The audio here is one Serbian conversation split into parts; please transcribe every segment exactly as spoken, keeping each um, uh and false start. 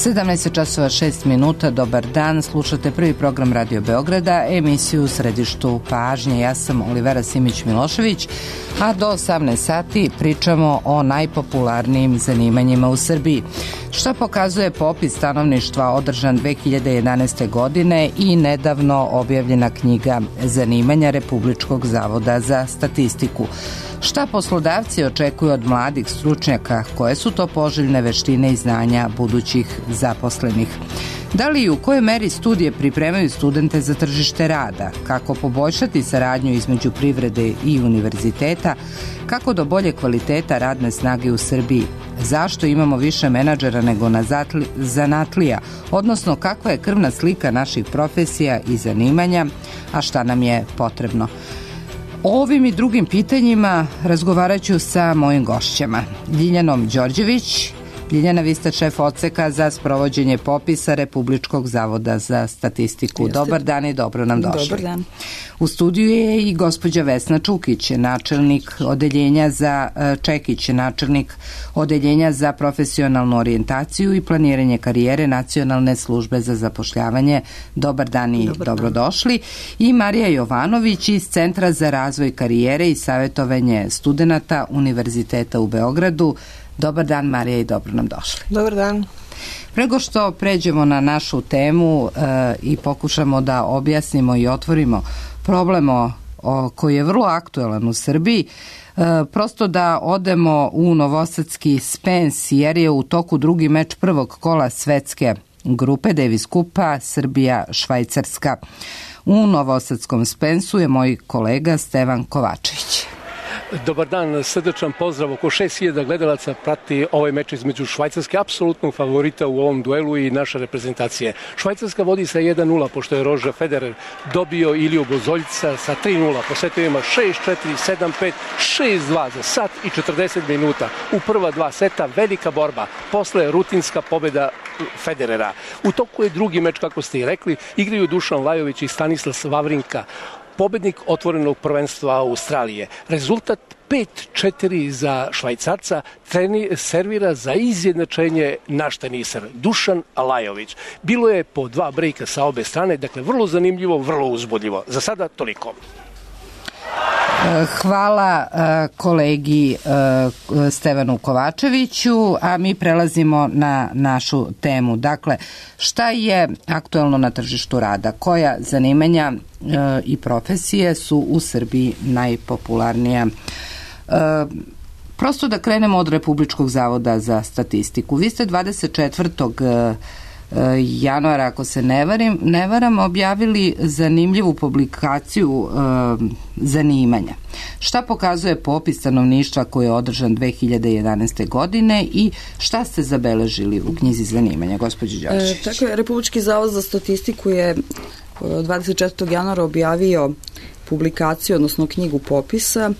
sedamnaest časova šest minuta, dobar dan, slušate prvi program Radio Beograda, emisiju u središtu pažnje. Ja sam Olivera Simić-Milošević, a do osamnaest sati pričamo o najpopularnijim zanimanjima u Srbiji. Šta pokazuje popis stanovništva održan dve hiljade jedanaeste. godine i nedavno objavljena knjiga zanimanja Republičkog zavoda za statistiku. Šta poslodavci očekuju od mladih stručnjaka, koje su to poželjne veštine i znanja budućih zaposlenih? Da li i u kojoj meri studije pripremaju studente za tržište rada? Kako poboljšati saradnju između privrede i univerziteta? Kako do bolje kvaliteta radne snage u Srbiji? Zašto imamo više menadžera nego na zanatlija? Odnosno, kakva je krvna slika naših profesija i zanimanja, a šta nam je potrebno? O ovim i drugim pitanjima razgovarat ću sa mojim gošćama. Ljiljanom Đorđević. Ljiljana, vi ste šef odseka za sprovođenje popisa Republičkog zavoda za statistiku. Jeste. Dobar dan i dobro nam došli. Dobar dan. U studiju je i gospođa Vesna Čukić, načelnik odeljenja za Čekić, načelnik odeljenja za profesionalnu orijentaciju i planiranje karijere Nacionalne službe za zapošljavanje. Dobar dan i Dobar dobrodošli. Dan. I Marija Jovanović iz Centra za razvoj karijere i savjetovanje studenata Univerziteta u Beogradu. Dobar dan, Marija, i dobro nam došli. Dobar dan. Prego što pređemo na našu temu e, i pokušamo da objasnimo i otvorimo problem o, o, koji je vrlo aktuelan u Srbiji, e, prosto da odemo u novosadski Spens, jer je u toku drugi meč prvog kola svetske grupe Davis Kupa Srbija-Švajcarska. U novosadskom Spensu je moj kolega Stevan Kovačević. Dobar dan, srdečan pozdrav. Oko šest hiljada gledalaca prati ovaj meč između Švajcarske, apsolutnog favorita u ovom duelu, i naše reprezentacije. Švajcarska vodi sa jedan nula, pošto je Roger Federer dobio Iliju Bozoljca sa tri nula. Po setovima šest četiri, sedam pet, šest dva za sat i četrdeset minuta. U prva dva seta velika borba, posle rutinska pobjeda Federera. U toku je drugi meč, kako ste i rekli, igraju Dušan Lajović i Stanislav Vavrinka, pobednik otvorenog prvenstva Australije. Rezultat pet četiri za Švajcarca, treni, servira za izjednačenje naš teniser Dušan Lajović. Bilo je po dva brejka sa obe strane, dakle vrlo zanimljivo, vrlo uzbudljivo. Za sada toliko. Hvala kolegi Stevanu Kovačeviću, a mi prelazimo na našu temu. Dakle, šta je aktuelno na tržištu rada? Koja zanimanja i profesije su u Srbiji najpopularnija? Prosto da krenemo od Republičkog zavoda za statistiku. Vi ste dvadeset četvrtog januara, ako se ne varam, ne varam, objavili zanimljivu publikaciju e, zanimanja. Šta pokazuje popis stanovništva koji je održan dve hiljade jedanaeste. godine i šta ste zabeležili u knjizi zanimanja, gospođo Đorđević? E, tako je, Republički zavod za statistiku je dvadeset četvrtog januara objavio publikaciju, odnosno knjigu popisa,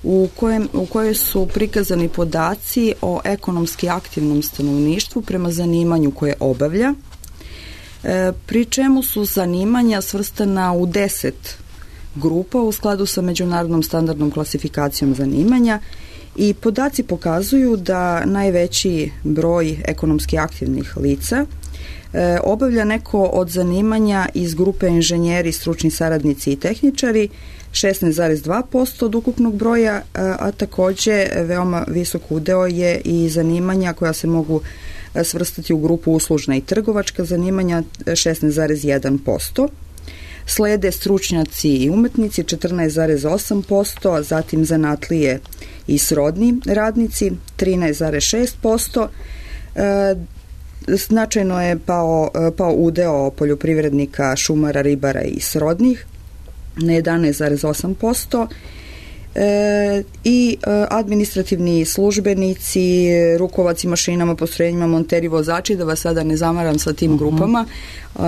u, kojem, u kojoj su prikazani podaci o ekonomski aktivnom stanovništvu prema zanimanju koje obavlja, e, pri čemu su zanimanja svrstana u deset grupa u skladu sa međunarodnom standardnom klasifikacijom zanimanja, i podaci pokazuju da najveći broj ekonomski aktivnih lica e, obavlja neko od zanimanja iz grupe inženjeri, stručni saradnici i tehničari, šesnaest zarez dva posto od ukupnog broja, a, a takođe veoma visok udeo je i zanimanja koja se mogu svrstati u grupu uslužna i trgovačka zanimanja, šesnaest zarez jedan posto. Slede stručnjaci i umetnici, četrnaest zarez osam posto, a zatim zanatlije i srodni radnici, trinaest zarez šest posto. E, značajno je pao, pao udeo poljoprivrednika, šumara, ribara i srodnih na jedanaest zarez osam posto. E, i e, administrativni službenici, rukovaci mašinama, postrojenjima, monteri, vozači, da vas sada ne zamaram sa tim grupama, e,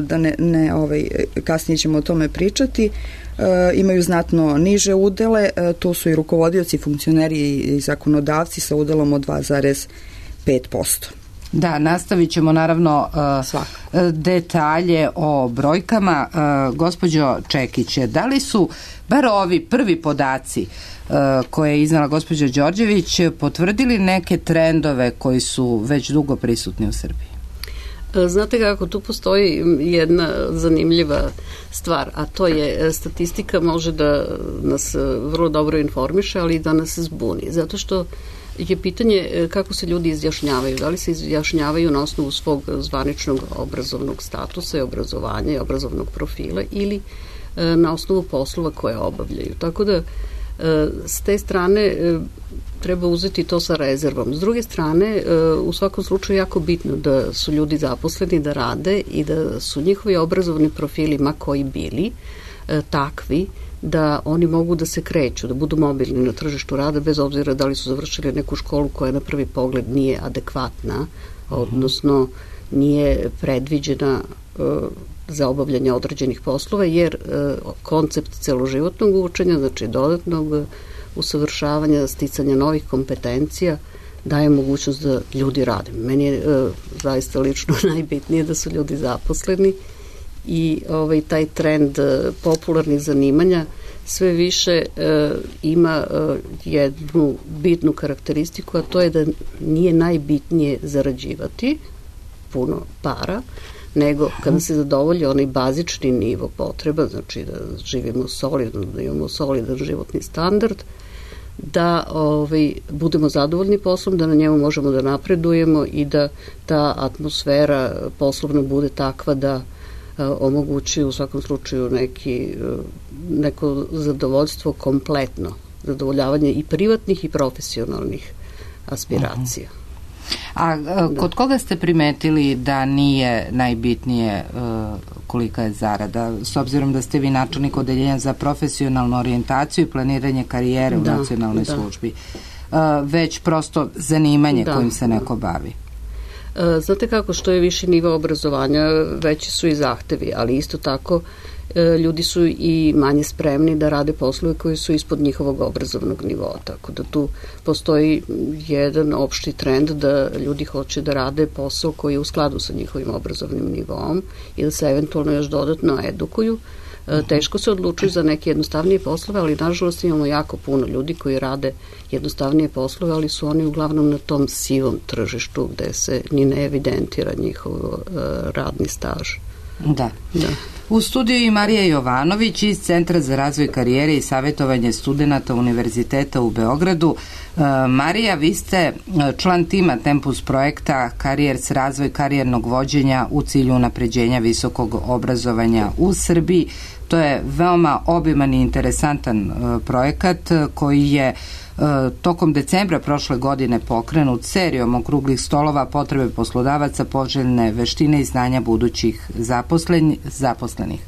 da ne, ne ovaj, kasnije ćemo o tome pričati, e, imaju znatno niže udele, e, tu su i rukovodioci, funkcioneri i zakonodavci sa udelom od dva zarez pet posto. Da, nastavit ćemo naravno uh, detalje o brojkama. Uh, gospođo Čekiće, da li su bar ovi prvi podaci uh, koje je iznala gospođa Đorđević potvrdili neke trendove koji su već dugo prisutni u Srbiji? Znate kako, tu postoji jedna zanimljiva stvar, a to je statistika može da nas vrlo dobro informiše, ali i da nas zbuni, zato što je pitanje kako se ljudi izjašnjavaju. Da li se izjašnjavaju na osnovu svog zvaničnog obrazovnog statusa i obrazovanja i obrazovnog profila ili na osnovu poslova koje obavljaju. Tako da s te strane treba uzeti to sa rezervom. S druge strane, u svakom slučaju jako bitno da su ljudi zaposleni, da rade i da su njihovi obrazovni profili, ma koji bili, takvi da oni mogu da se kreću, da budu mobilni na tržištu rada bez obzira da li su završili neku školu koja na prvi pogled nije adekvatna, odnosno nije predviđena za obavljanje određenih poslova, jer koncept celoživotnog učenja, znači dodatnog usavršavanja, sticanja novih kompetencija, daje mogućnost da ljudi rade. Meni je zaista lično najbitnije da su ljudi zaposleni i ovaj, taj trend popularnih zanimanja sve više e, ima e, jednu bitnu karakteristiku, a to je da nije najbitnije zarađivati puno para, nego kada se zadovolji onaj bazični nivo potreba, znači da živimo solidno, da imamo solidan životni standard, da ovaj, budemo zadovoljni poslom, da na njemu možemo da napredujemo i da ta atmosfera poslovna bude takva da omogući u svakom slučaju neki, neko zadovoljstvo kompletno, zadovoljavanje i privatnih i profesionalnih aspiracija. A, a kod koga ste primetili da nije najbitnije uh, kolika je zarada, s obzirom da ste vi načelnik odeljenja za profesionalnu orijentaciju i planiranje karijere da, u nacionalnoj da. službi, uh, već prosto zanimanje da. kojim se neko bavi? Znate kako, što je viši nivo obrazovanja, veći su i zahtevi, ali isto tako ljudi su i manje spremni da rade poslove koji su ispod njihovog obrazovnog nivoa, tako da tu postoji jedan opšti trend da ljudi hoće da rade posao koji je u skladu sa njihovim obrazovnim nivom i da se eventualno još dodatno edukuju. Teško se odlučuju za neke jednostavnije poslove, ali nažalost imamo jako puno ljudi koji rade jednostavnije poslove, ali su oni uglavnom na tom sivom tržištu gde se ni ne evidentira njihov uh, radni staž. Da. da. U studiju i Marija Jovanović iz Centra za razvoj karijere i savjetovanje studenata Univerziteta u Beogradu. Uh, Marija, vi ste član tima Tempus projekta Karijers, razvoj karijernog vođenja u cilju unapređenja visokog obrazovanja u Srbiji. To je veoma obiman i interesantan uh, projekat uh, koji je uh, tokom decembra prošle godine pokrenut serijom okruglih stolova, potrebe poslodavaca, poželjne veštine i znanja budućih zaposlen, zaposlenih.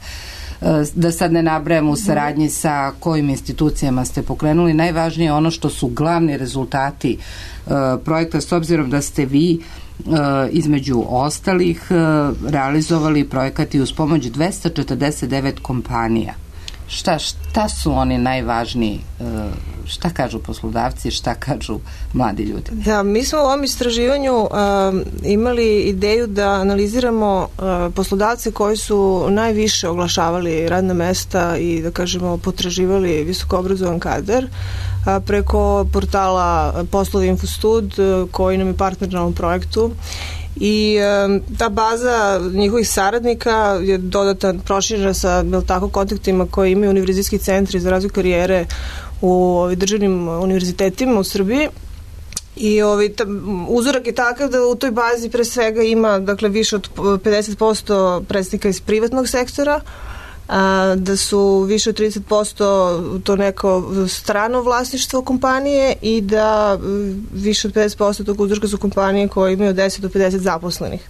Uh, da sad ne nabrajam u saradnji sa kojim institucijama ste pokrenuli, najvažnije je ono što su glavni rezultati uh, projekta, s obzirom da ste vi između ostalih realizovali projekati uz pomoć dvesta četrdeset devet kompanija. Šta, šta su oni najvažniji? Šta kažu poslodavci, šta kažu mladi ljudi? Da, mi smo u ovom istraživanju uh, imali ideju da analiziramo uh, poslodavce koji su najviše oglašavali radna mesta i da kažemo potraživali visokoobrazovan kadar uh, preko portala Poslovi Infostud uh, koji nam je partner na ovom projektu. I e, ta baza njihovih saradnika je dodatno proširena sa tako, kontaktima koje imaju univerzitetski centri za razvoj karijere u ovi, državnim univerzitetima u Srbiji. I ovi, ta, uzorak je takav da u toj bazi pre svega ima dakle, više od pedeset posto predstavnika iz privatnog sektora, a, da su više od trideset posto to neko strano vlasništvo kompanije i da više od pedeset posto tog uzorka su kompanije koje imaju od deset do pedeset zaposlenih.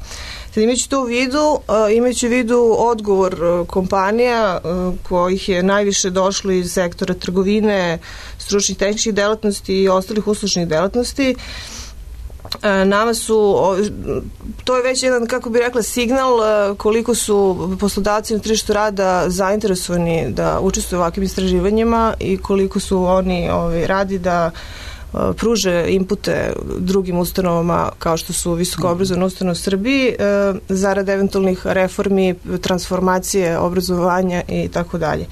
Sad imajući to u vidu, imajući u vidu odgovor kompanija kojih je najviše došlo iz sektora trgovine, stručnih tehničkih delatnosti i ostalih uslužnih delatnosti, nama su, to je već jedan, kako bih rekla, signal koliko su poslodavci na tržištu rada zainteresovani da učestvuju u ovakvim istraživanjima i koliko su oni ovi, radi da pruže inpute drugim ustanovama kao što su visokoobrazovne ustanove u Srbiji zarad eventualnih reformi, transformacije, obrazovanja i tako dalje.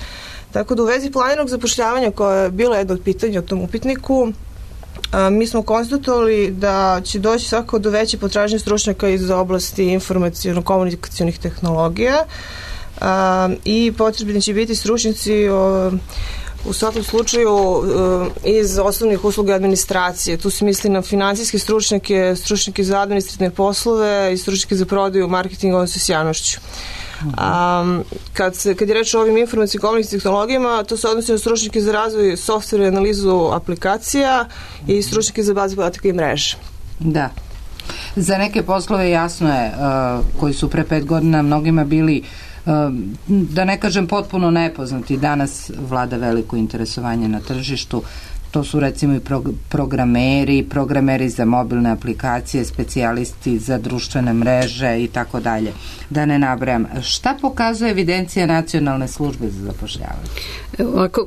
Tako da u vezi planiranog zapošljavanja koje je bilo jedno od pitanja u tom upitniku, mi smo konstatovali da će doći svakako do veće potražnje stručnjaka iz oblasti informaciono-komunikacionih tehnologija i potrebni će biti stručnjaci u svakom slučaju iz osnovnih usluga administracije. Tu se misli na finansijske stručnjake, stručnjake za administrativne poslove i stručnjake za prodaju, marketing, odnosno s javnošću. Um, kad, se, kad je reč o ovim informacijskim komunikacijskim tehnologijama, to se odnosi na stručnjake za razvoj softvera i analizu aplikacija i stručnjake za baze podataka i mreže. Da. Za neke poslove jasno je, uh, koji su pre pet godina mnogima bili, uh, da ne kažem potpuno nepoznati, danas vlada veliko interesovanje na tržištu. To su recimo i programeri, programeri za mobilne aplikacije, specijalisti za društvene mreže i tako dalje. Da ne nabrajam. Šta pokazuje evidencija Nacionalne službe za zapošljavanje? Ovako,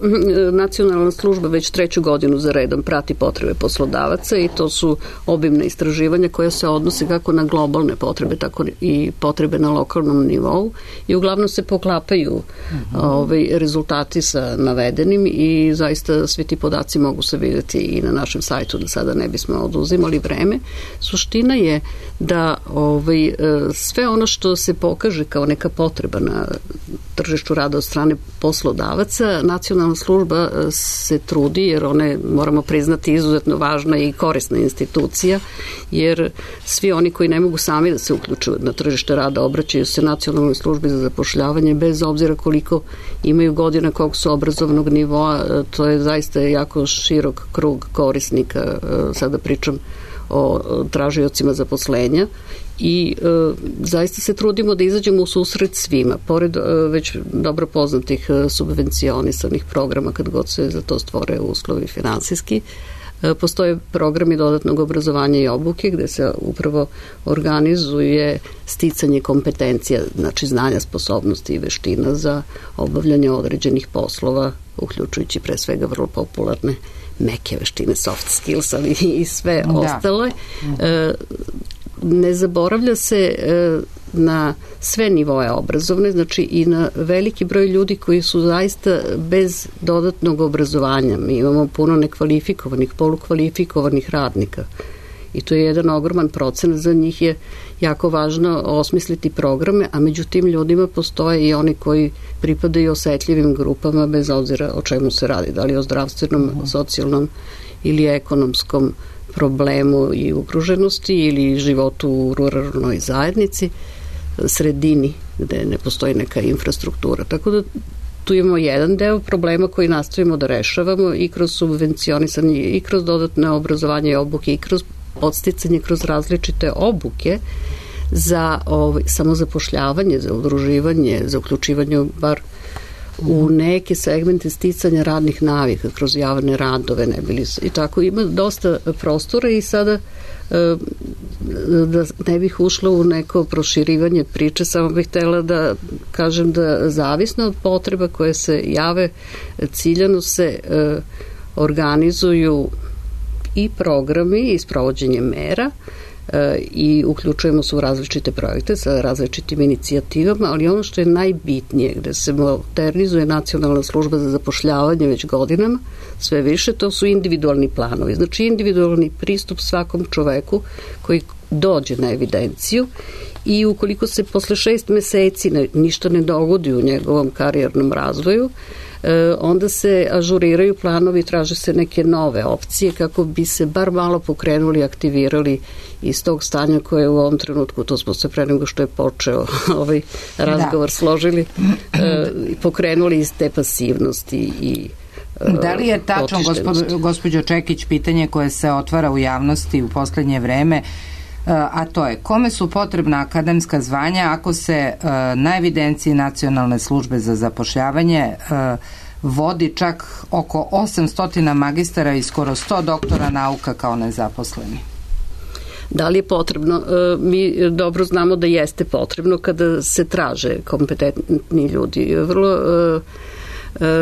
Nacionalna služba već treću godinu za redom prati potrebe poslodavaca i to su obimna istraživanja koja se odnose kako na globalne potrebe, tako i potrebe na lokalnom nivou i uglavnom se poklapaju uh-huh. ovaj, rezultati sa navedenim i zaista svi ti podaci mogu se vidjeti i na našem sajtu, da sada ne bismo oduzimali vreme. Suština je da ovaj, sve ono što se pokaže kao neka potreba na tržištu rada od strane poslodavaca, Nacionalna služba se trudi, jer ona je, moramo priznati, izuzetno važna i korisna institucija, jer svi oni koji ne mogu sami da se uključuju na tržište rada obraćaju se Nacionalnoj službi za zapošljavanje bez obzira koliko imaju godina, kog su obrazovnog nivoa. To je zaista jako širok krug korisnika. Sada pričam o tražiocima zaposlenja i e, zaista se trudimo da izađemo u susret svima, pored e, već dobro poznatih e, subvencionisanih programa kad god se za to stvore uslovi finansijski. E, postoje programi dodatnog obrazovanja i obuke gde se upravo organizuje sticanje kompetencija, znači znanja, sposobnosti i veština za obavljanje određenih poslova, uključujući pre svega vrlo popularne meke veštine, soft skills, ali i sve da. ostale. E, ne zaboravlja se e, na sve nivoe obrazovne, znači i na veliki broj ljudi koji su zaista bez dodatnog obrazovanja. Mi imamo puno nekvalifikovanih, polukvalifikovanih radnika i to je jedan ogroman procenat. Za njih je jako važno osmisliti programe, a među tim ljudima postoje i oni koji pripadaju osetljivim grupama bez obzira o čemu se radi, da li o zdravstvenom, uh-huh. socijalnom ili ekonomskom problemu i ugroženosti ili životu u ruralnoj zajednici, sredini gde ne postoji neka infrastruktura. Tako da tu imamo jedan deo problema koji nastavimo da rešavamo i kroz subvencionisanje, i kroz dodatne obrazovanje i obuke, i kroz podsticanje kroz različite obuke za ovaj, samozapošljavanje, za udruživanje, za uključivanje bar u neke segmente sticanja radnih navika kroz javne radove, ne bili i tako. Ima dosta prostora i sada da ne bih ušla u neko proširivanje priče, samo bih htjela da kažem da zavisno od potreba koje se jave, ciljano se organizuju i programi i sprovođenje mera e, i uključujemo se u različite projekte sa različitim inicijativama, ali ono što je najbitnije, gde se modernizuje Nacionalna služba za zapošljavanje već godinama, sve više, to su individualni planovi. Znači individualni pristup svakom čoveku koji dođe na evidenciju i ukoliko se posle šest meseci ne, ništa ne dogodi u njegovom karijernom razvoju, onda se ažuriraju planovi, traže se neke nove opcije kako bi se bar malo pokrenuli, aktivirali iz tog stanja koje je u ovom trenutku, to smo se pre nego što je počeo ovaj razgovor da. složili, i pokrenuli iz te pasivnosti i Da li je tačno, gospođo, gospođo Čekić, pitanje koje se otvara u javnosti u poslednje vreme, a to je kome su potrebna akademska zvanja ako se uh, na evidenciji Nacionalne službe za zapošljavanje uh, vodi čak oko osamsto magistara i skoro sto doktora nauka kao nezaposleni? Da li je potrebno? Mi dobro znamo da jeste potrebno kada se traže kompetentni ljudi. Vrlo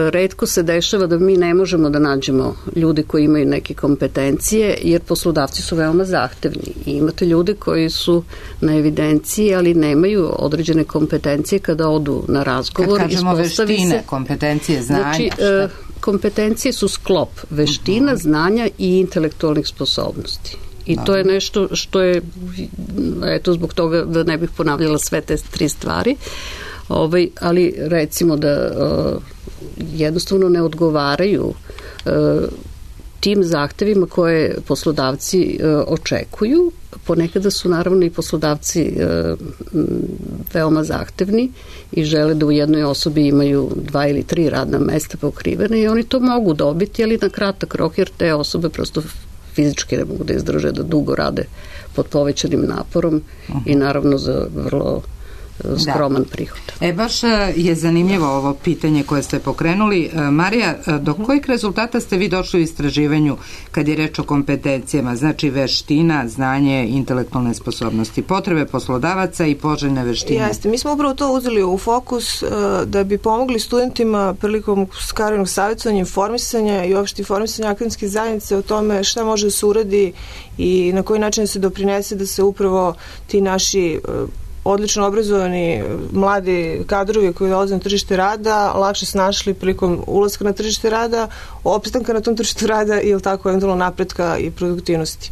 retko se dešava da mi ne možemo da nađemo ljude koji imaju neke kompetencije, jer poslodavci su veoma zahtevni i imate ljude koji su na evidenciji, ali nemaju određene kompetencije kada odu na razgovor. Kad kažemo veštine, se, kompetencije, znanja. Znači, kompetencije su sklop veština, znanja i intelektualnih sposobnosti. I to je nešto što je, eto zbog toga da ne bih ponavljala sve te tri stvari, ovaj, ali recimo da uh, jednostavno ne odgovaraju uh, tim zahtevima koje poslodavci uh, očekuju. Ponekada su naravno i poslodavci uh, veoma zahtevni i žele da u jednoj osobi imaju dva ili tri radna mesta pokrivene i oni to mogu dobiti, ali na kratak rok, jer te osobe prosto fizički ne mogu da izdrže da dugo rade pod povećanim naporom uh-huh. i naravno za vrlo skroman da. prihod. E, baš je zanimljivo ovo pitanje koje ste pokrenuli. Marija, do kojih rezultata ste vi došli u istraživanju kad je reč o kompetencijama, znači veština, znanje, intelektualne sposobnosti, potrebe poslodavaca i poželjne veštine? Jeste, mi smo upravo to uzeli u fokus da bi pomogli studentima prilikom karijernog savjetovanja, informisanja i uopšte informisanja akademske zajednice o tome šta može da se uradi i na koji način se doprinese da se upravo ti naši odlično obrazovani mladi kadrovi koji dolaze na tržište rada lakše snašli prilikom ulaska na tržište rada, opstanka na tom tržištu rada i tako eventualno napretka i produktivnosti.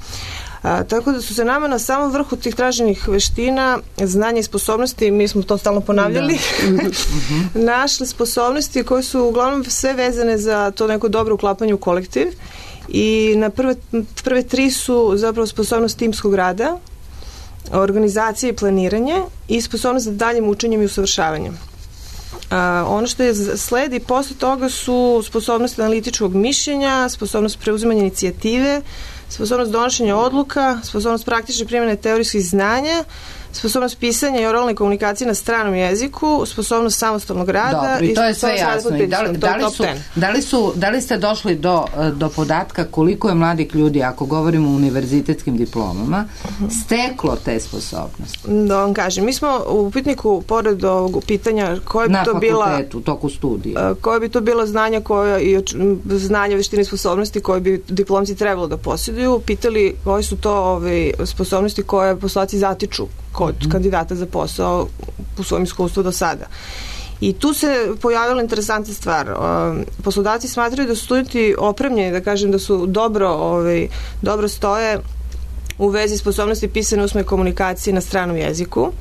A, tako da su se nama na samom vrhu tih traženih veština, znanja i sposobnosti, mi smo to stalno ponavljali, da. našli sposobnosti koje su uglavnom sve vezane za to neko dobro uklapanje u kolektiv i na prve, prve tri su zapravo sposobnost timskog rada, organizacija i planiranje i sposobnost za daljim učenjem i usavršavanjem. A, ono što je sledi posle toga su sposobnost analitičkog mišljenja, sposobnost preuzimanja inicijative, sposobnost donošenja odluka, sposobnost praktične primjene teorijskih znanja, sposobnost pisanja i oralne komunikacije na stranom jeziku, sposobnost samostalnog rada. Dobro, i to je sve jasno. I da, li, da, li su, da, li su, da li ste došli do, do podatka koliko je mladih ljudi, ako govorimo o univerzitetskim diplomama, steklo te sposobnosti? Da vam kažem, mi smo u upitniku, pored ovog pitanja koje bi na to bila... Na fakultetu, toku studija. Koje bi to bila znanja koja, i znanja, veštine i sposobnosti koje bi diplomci trebalo da posjeduju, pitali koje su to ove, sposobnosti koje poslodavci zatiču kod mm-hmm. kandidata za posao u svom iskustvu do sada. I tu se pojavila interesantna stvar. Poslodavci smatraju da su studenti opremljeni, da kažem da su dobro, ovaj, dobro stoje u vezi sposobnosti pisane usmene komunikacije na stranom jeziku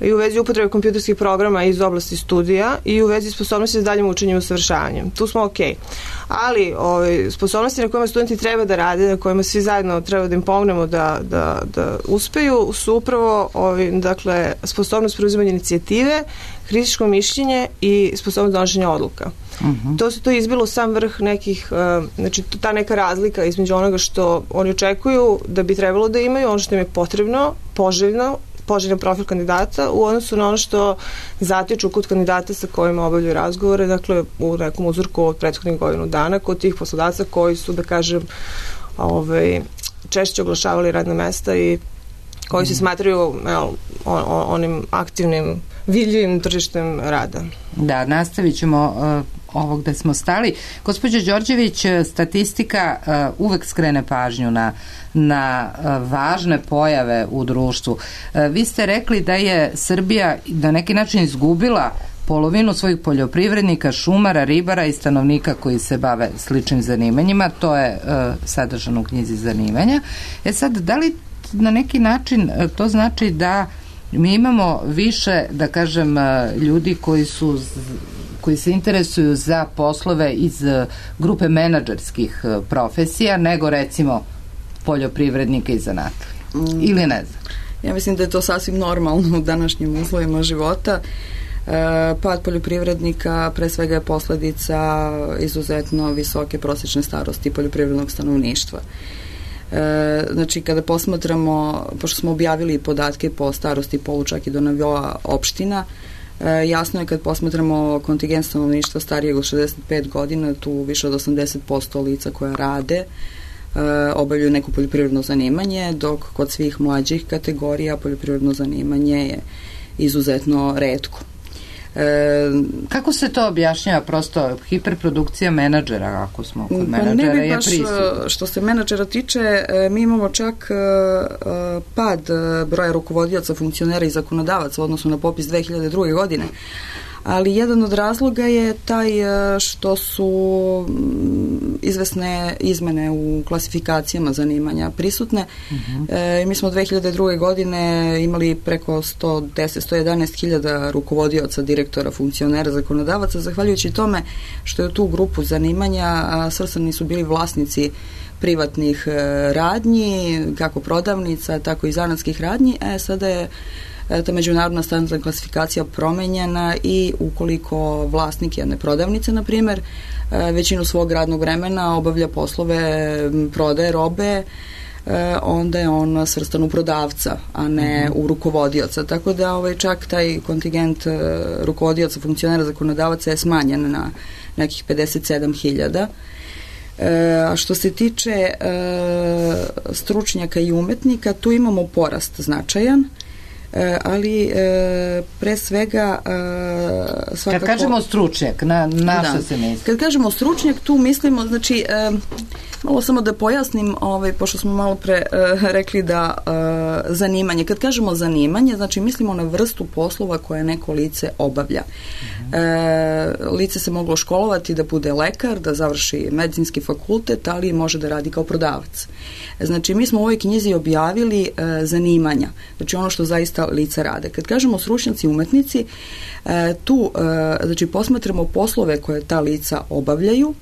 i u vezi upotrebe kompjuterskih programa iz oblasti studija i u vezi sposobnosti za daljim učenjem i usavršavanjem. Tu smo okej. Okay. Ali ove, sposobnosti na kojima studenti treba da rade, na kojima svi zajedno treba da im pomognemo da, da, da uspeju, su upravo ove, dakle, sposobnost preuzimanja inicijative, kritičko mišljenje i sposobnost donošenja odluka. Uh-huh. To se to izbilo sam vrh nekih, uh, znači ta neka razlika između onoga što oni očekuju da bi trebalo da imaju, ono što im je potrebno, poželjno, poželjan profil kandidata u odnosu na ono što zatiču kod kandidata sa kojima obavljaju razgovore, dakle u nekom uzorku od prethodnih godinu dana kod tih poslodavaca koji su, da kažem, ovaj, češće oglašavali radna mesta i koji se smatraju evo, on, on, onim aktivnim, vidljivim tržištem rada. Da, nastavit ćemo uh, ovo gde smo stali. Gospođo Đorđević, statistika uh, uvek skrene pažnju na, na uh, važne pojave u društvu. Uh, vi ste rekli da je Srbija na neki način izgubila polovinu svojih poljoprivrednika, šumara, ribara i stanovnika koji se bave sličnim zanimanjima. To je uh, sadržano u knjizi zanimanja. E sad, da li na neki način to znači da mi imamo više, da kažem, ljudi koji su koji se interesuju za poslove iz grupe menadžerskih profesija nego recimo poljoprivrednika i zanatlija? Mm. Ili ne znam? Ja mislim da je to sasvim normalno u današnjim uslovima života. E, pad poljoprivrednika pre svega je posledica izuzetno visoke prosječne starosti poljoprivrednog stanovništva. E, znači kada posmatramo, pošto smo objavili podatke po starosti polu čak i do nivoa opština, e, jasno je kad posmatramo kontingent stanovništva starijeg od šezdeset pet godina, tu više od osamdeset posto lica koja rade e, obavljaju neko poljoprivredno zanimanje, dok kod svih mlađih kategorija poljoprivredno zanimanje je izuzetno retko. E, Kako se to objašnjava? Prosto hiperprodukcija menadžera, ako smo kod pa menadžera ne bi je baš, prisutno. što se menadžera tiče, mi imamo čak pad broja rukovodioca, funkcionera i zakonodavaca u odnosu na popis dve hiljade druge godine, ali jedan od razloga je taj što su izvesne izmene u klasifikacijama zanimanja prisutne. Uh-huh. E, mi smo dve hiljade druge. godine imali preko sto deset do sto jedanaest hiljada rukovodioca, direktora, funkcionera, zakonodavaca, zahvaljujući tome što je u tu grupu zanimanja svrstani su bili vlasnici privatnih radnji, kako prodavnica, tako i zanatskih radnji. E, sada je ta međunarodna standardna klasifikacija promenjena i ukoliko vlasnik jedne prodavnice, na primjer, većinu svog radnog vremena obavlja poslove prodaje robe, onda je on svrstan u prodavca, a ne u rukovodioca. Tako da ovaj, čak taj kontingent rukovodioca, funkcionera, zakonodavaca je smanjen na nekih pedeset sedam hiljada. A što se tiče e, stručnjaka i umetnika, tu imamo porast značajan, e, ali e, pre svega e, svakako... Kad kažemo stručnjak, na, na što da. se misli? Kad kažemo stručnjak, tu mislimo, znači, e, malo samo da pojasnim, ovaj, pošto smo malo pre e, rekli da e, zanimanje, kad kažemo zanimanje, znači mislimo na vrstu poslova koje neko lice obavlja. E, lice se moglo školovati da bude lekar, da završi medicinski fakultet, ali može da radi kao prodavac. Znači, mi smo u ovoj knjizi objavili e, zanimanja, znači ono što zaista lica rade. Kad kažemo stručnjaci i umetnici, e, tu e, znači, posmatramo poslove koje ta lica obavljaju,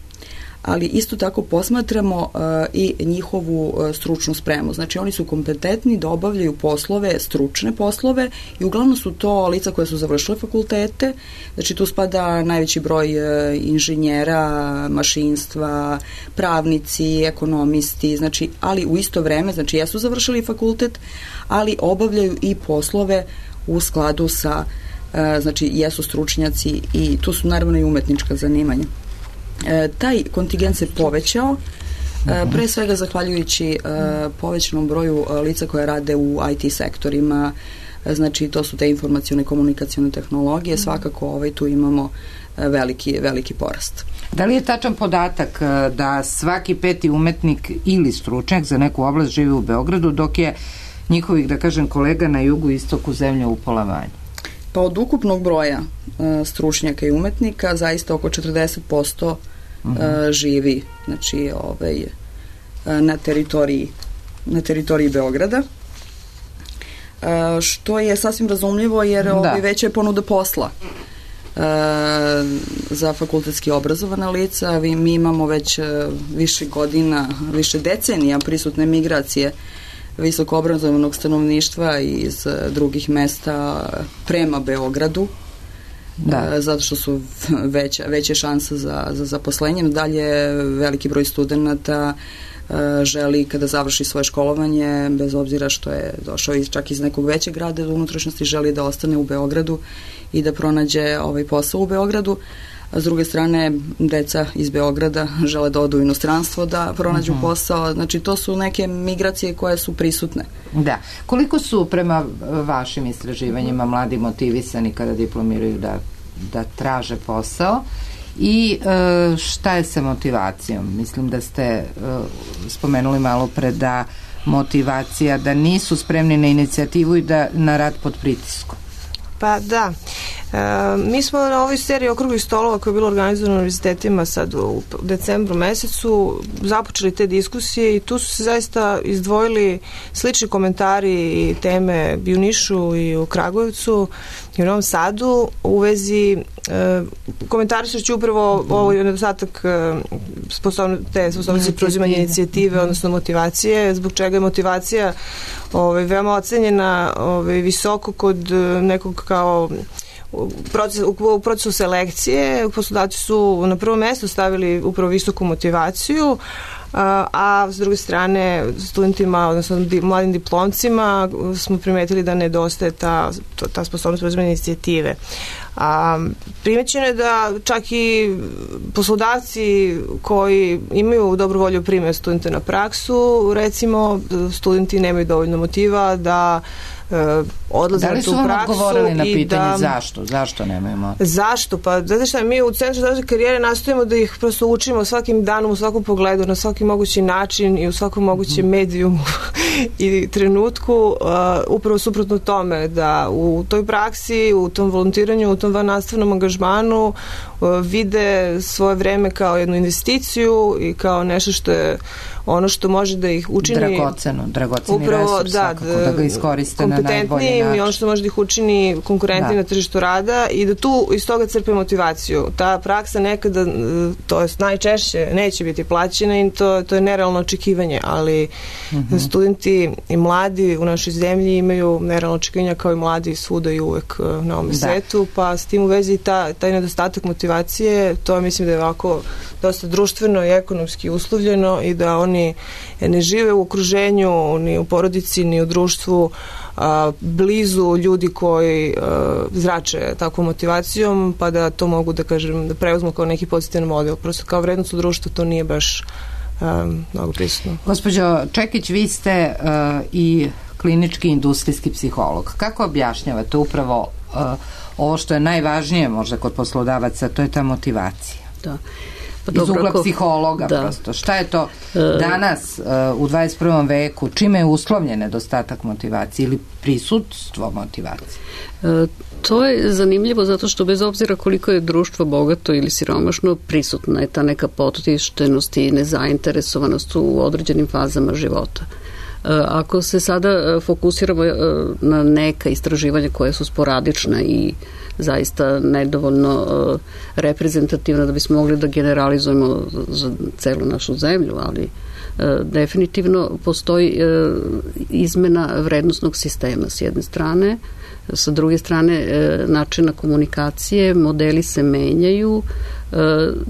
ali isto tako posmatramo uh, i njihovu uh, stručnu spremu. Znači, oni su kompetentni da obavljaju poslove, stručne poslove, i uglavnom su to lica koje su završile fakultete. Znači, tu spada najveći broj uh, inženjera, mašinstva, pravnici, ekonomisti, znači, ali u isto vreme, znači, jesu završili fakultet, ali obavljaju i poslove u skladu sa, uh, znači, jesu stručnjaci, i tu su naravno i umetnička zanimanja. E, taj kontingent se povećao, e, pre svega zahvaljujući e, povećanom broju e, lica koje rade u I T sektorima, e, znači to su te informacione komunikacione tehnologije, svakako ovaj, tu imamo e, veliki, veliki porast. Da li je tačan podatak e, da svaki peti umetnik ili stručnjak za neku oblast živi u Beogradu, dok je njihovih, da kažem, kolega na jugu i istoku zemlje upola manje? Pa od ukupnog broja uh, stručnjaka i umetnika zaista oko četrdeset posto uh, uh-huh. živi, znači ovaj, uh, na teritoriji na teritoriji Beograda, uh, što je sasvim razumljivo jer ovaj, veća je ponuda posla uh, za fakultetski obrazovana lica. Mi imamo već uh, više godina, više decenija prisutne migracije visoko obrazovanog stanovništva iz drugih mesta prema Beogradu, da. zato što su veća, veće šanse za, za zaposlenje. Dalje, veliki broj studenata želi kada završi svoje školovanje, bez obzira što je došao iz, čak iz nekog većeg grada do unutrašnjosti, želi da ostane u Beogradu i da pronađe ovaj posao u Beogradu. A s druge strane, deca iz Beograda žele da odu u inostranstvo da pronađu uh-huh. posao. Znači, to su neke migracije koje su prisutne. Da. Koliko su prema vašim istraživanjima mladi motivisani kada diplomiraju da, da traže posao i e, šta je sa motivacijom? Mislim da ste e, spomenuli malo pre da motivacija, da nisu spremni na inicijativu i da na rad pod pritiskom. Pa da, e, mi smo na ovoj seriji okruglih stolova koja je bila organizovana na univerzitetima sad u decembru mesecu započeli te diskusije i tu su se zaista izdvojili slični komentari i teme i u Nišu i u Kragujevcu i u Novom Sadu u vezi e, komentarišući upravo ovaj nedostatak e, sposobno, te sposobnosti preuzimanja inicijative, odnosno motivacije, zbog čega je motivacija ovaj, veoma ocenjena ovaj, visoko kod nekog kao u procesu, u procesu selekcije. Poslodavci su na prvo mesto stavili upravo visoku motivaciju, a, a s druge strane studentima, odnosno di, mladim diplomcima smo primetili da nedostaje ta, ta sposobnost preuzimanja inicijative. A, primećeno je da čak i poslodavci koji imaju dobru volju primaju studente na praksu, recimo studenti nemaju dovoljno motiva da odlaze na tu praksu. Da li su vam odgovorili na pitanje da, zašto? Zašto nemaju motiv? Zašto? Pa, znate šta, mi u Centru za razvoj karijere nastojimo da ih prosto učimo svakim danom, u svakom pogledu, na svaki mogući način i u svakom mogućem mm. medijumu i trenutku, uh, upravo suprotno tome, da u toj praksi, u tom volontiranju, u tom vannastavnom angažmanu uh, vide svoje vreme kao jednu investiciju i kao nešto što je ono što može da ih učini dragoceno, dragoceni upravo, resurs, da, da ga iskoriste na najbolji način. I ono što može da ih učini konkurentni na tržištu rada i da tu iz toga crpe motivaciju. Ta praksa nekada, to je najčešće, neće biti plaćena i to, to je nerealno očekivanje, ali mm-hmm. studenti i mladi u našoj zemlji imaju nerealno očekivanja kao i mladi svuda i uvek na ovom da. svetu, pa s tim u vezi ta, taj nedostatak motivacije, to mislim da je ovako dosta društveno i ekonomski uslovljeno i da oni ne žive u okruženju, ni u porodici, ni u društvu a, blizu ljudi koji a, zrače takvom motivacijom, pa da to mogu da kažem, da preuzmu kao neki pozitivan model. Prosto kao vrednost u društvu to nije baš a, mnogo prisutno. Gospođo Čekić, vi ste a, i klinički industrijski psiholog. Kako objašnjavate upravo a, ovo što je najvažnije možda kod poslodavaca, to je ta motivacija? Da. Pa iz ugla psihologa da. prosto. Šta je to danas uh, u dvadeset prvom veku, čime je uslovljen nedostatak motivacije ili prisutstvo motivacije? E, to je zanimljivo zato što bez obzira koliko je društvo bogato ili siromašno, prisutna je ta neka potištenost i nezainteresovanost u određenim fazama života. Ako se sada fokusiramo na neka istraživanja koja su sporadična i zaista nedovoljno reprezentativna da bismo mogli da generalizujemo za celu našu zemlju, ali definitivno postoji izmena vrednostnog sistema s jedne strane, sa druge strane načina komunikacije, modeli se menjaju,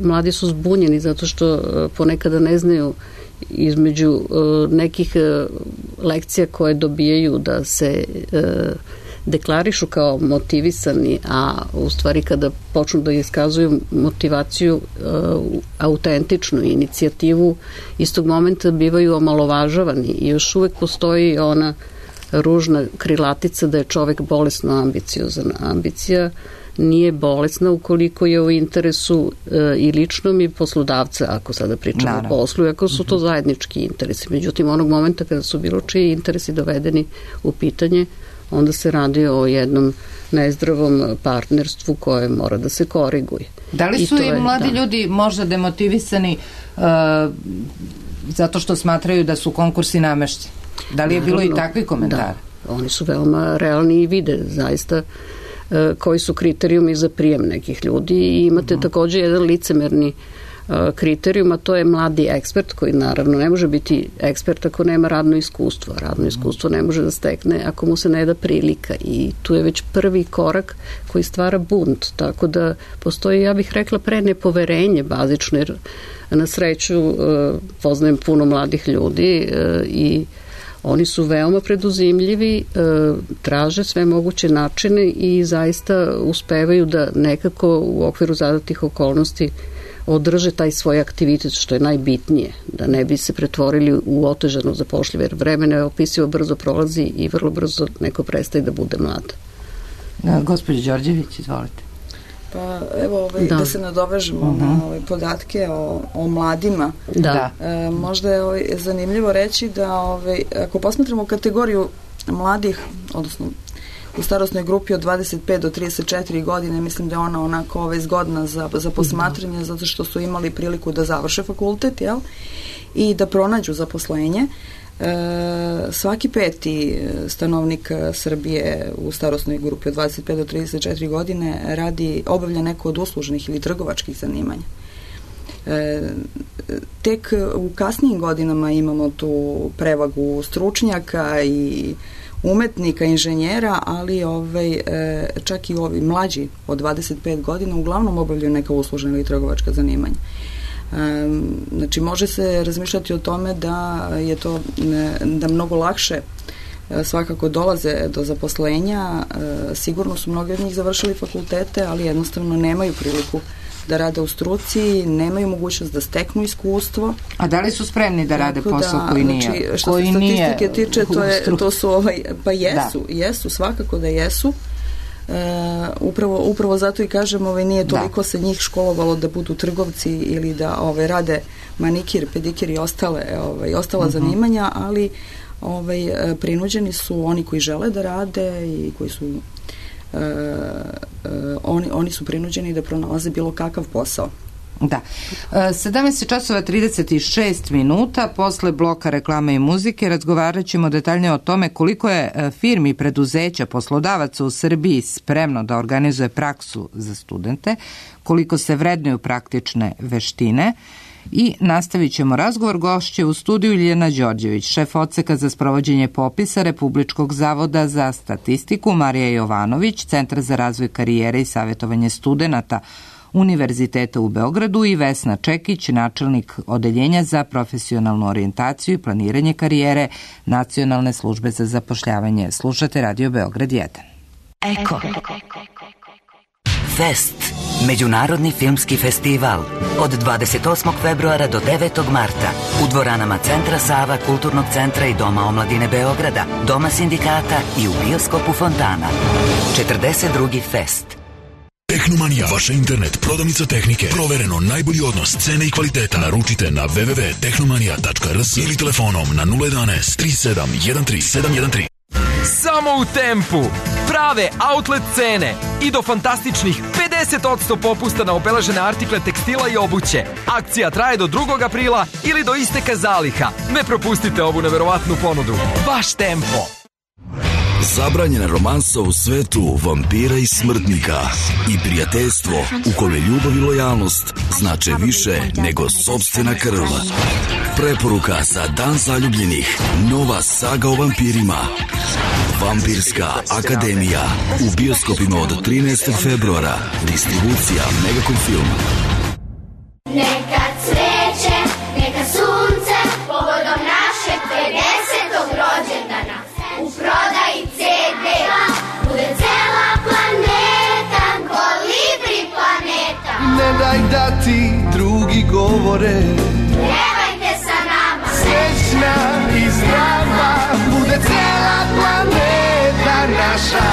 mladi su zbunjeni zato što ponekada ne znaju između uh, nekih uh, lekcija koje dobijaju da se uh, deklarišu kao motivisani, a u stvari kada počnu da iskazuju motivaciju uh, autentičnu inicijativu, istog momenta bivaju omalovažavani i još uvek postoji ona ružna krilatica da je čovek bolesno ambiciozan. Ambicija nije bolesna ukoliko je u interesu e, i ličnom i poslodavca, ako sada pričamo Naravno. o poslu, ako su to zajednički interesi. Međutim, onog momenta kada su bilo čiji interesi dovedeni u pitanje, onda se radi o jednom nezdravom partnerstvu koje mora da se koriguje. Da li su i, i mladi da. ljudi možda demotivisani uh, zato što smatraju da su konkursi namešteni? Da li je Naravno, bilo i takvi komentari? Da, oni su veoma realni i vide zaista koji su kriterijumi za prijem nekih ljudi i imate uh-huh. takođe jedan licemerni uh, kriterijum, a to je mladi ekspert koji naravno ne može biti ekspert ako nema radno iskustvo. Radno uh-huh. iskustvo ne može da stekne ako mu se ne da prilika i tu je već prvi korak koji stvara bunt, tako da postoji, ja bih rekla, pre nepoverenje bazično, jer na sreću uh, poznajem puno mladih ljudi uh, i oni su veoma preduzimljivi, traže sve moguće načine i zaista uspevaju da nekako u okviru zadatih okolnosti održe taj svoj aktivitet, što je najbitnije, da ne bi se pretvorili u otežano zapošljive, jer vremena je opisivo brzo prolazi i vrlo brzo neko prestaje da bude mlad. Gospođo Đorđević, izvolite. Pa evo, ovaj, da. da se nadovežemo uh-huh. na ove podatke o, o mladima. Da. E, možda je ovaj, zanimljivo reći da ovaj, ako posmatramo kategoriju mladih, odnosno u starosnoj grupi od dvadeset pet do trideset četiri godine, mislim da je ona onako ovaj, zgodna za, za posmatranje, zato što su imali priliku da završe fakultet, jel? I da pronađu zaposlenje. E, svaki peti stanovnik Srbije u starosnoj grupi od dvadeset pet do trideset četiri godine radi, obavlja neko od uslužnih ili trgovačkih zanimanja. E, tek u kasnijim godinama imamo tu prevagu stručnjaka i umetnika, inženjera, ali ovaj, e, čak i ovi mlađi od dvadeset pet godina uglavnom obavljaju neka uslužna ili trgovačka zanimanja. Znači, može se razmišljati o tome da je to, da mnogo lakše svakako dolaze do zaposlenja. Sigurno su mnogi od njih završili fakultete, ali jednostavno nemaju priliku da rade u struci, nemaju mogućnost da steknu iskustvo. A da li su spremni da rade Tako posao da, koji nije? Znači, što koji se statistike nije tiče, to, je, to su, ovaj, pa jesu, da. jesu, svakako da jesu. E, upravo, upravo zato i kažem, ovaj, nije toliko da. se njih školovalo da budu trgovci ili da ovaj, rade manikir, pedikir i ostale, ovaj, ostala uh-huh. zanimanja, ali ovaj, prinuđeni su oni koji žele da rade i koji su uh, uh, oni, oni su prinuđeni da pronalaze bilo kakav posao. Da. sedamnaest časova trideset šest minuta, posle bloka reklame i muzike razgovarat ćemo detaljnije o tome koliko je firmi, preduzeća, poslodavaca u Srbiji spremno da organizuje praksu za studente, koliko se vrednuju praktične veštine. I nastavit ćemo razgovor. Gošće u studiju Ljiljana Đorđević, šef odseka za sprovođenje popisa Republičkog zavoda za statistiku, Marija Jovanović, Centra za razvoj karijere i savjetovanje studenata Univerziteta u Beogradu i Vesna Čekić, načelnik Odeljenja za profesionalnu orijentaciju i planiranje karijere Nacionalne službe za zapošljavanje. Slušate Radio Beograd jedan. Eko. Fest. Međunarodni filmski festival. Od dvadeset osmog februara do devetog marta. U dvoranama Centra Sava, Kulturnog centra i Doma omladine Beograda, Doma sindikata i u bioskopu Fontana. četrdeset drugi Fest. Tehnomanija, vaša internet prodavnica tehnike. Provereno najbolji odnos cene i kvaliteta. Naručite na w w w tačka tehnomanija tačka r s ili telefonom na nula jedanaest tri sedam jedan tri sedam jedan tri. Samo u Tempu. Prave outlet cene i do fantastičnih pedeset posto popusta na obeležene artikle tekstila i obuće. Akcija traje do drugog aprila ili do isteka zaliha. Ne propustite ovu neverovatnu ponudu. Baš Tempo. Zabranjena romansa u svetu vampira i smrtnika i prijateljstvo u kome ljubav i lojalnost znače više nego sopstvena krv. Preporuka za Dan zaljubljenih. Nova saga o vampirima. Vampirska akademija. U bioskopima od trinaestog februara. Distribucija Megacom Film. Neka cveće, neka sunce, povodom našeg pedesetog rođendana. U prodaji ce de bude cela planeta, Kolibri planeta. Ne daj da ti drugi govore, pevajte sa nama. Srećna i zdrava bude cela planeta naša.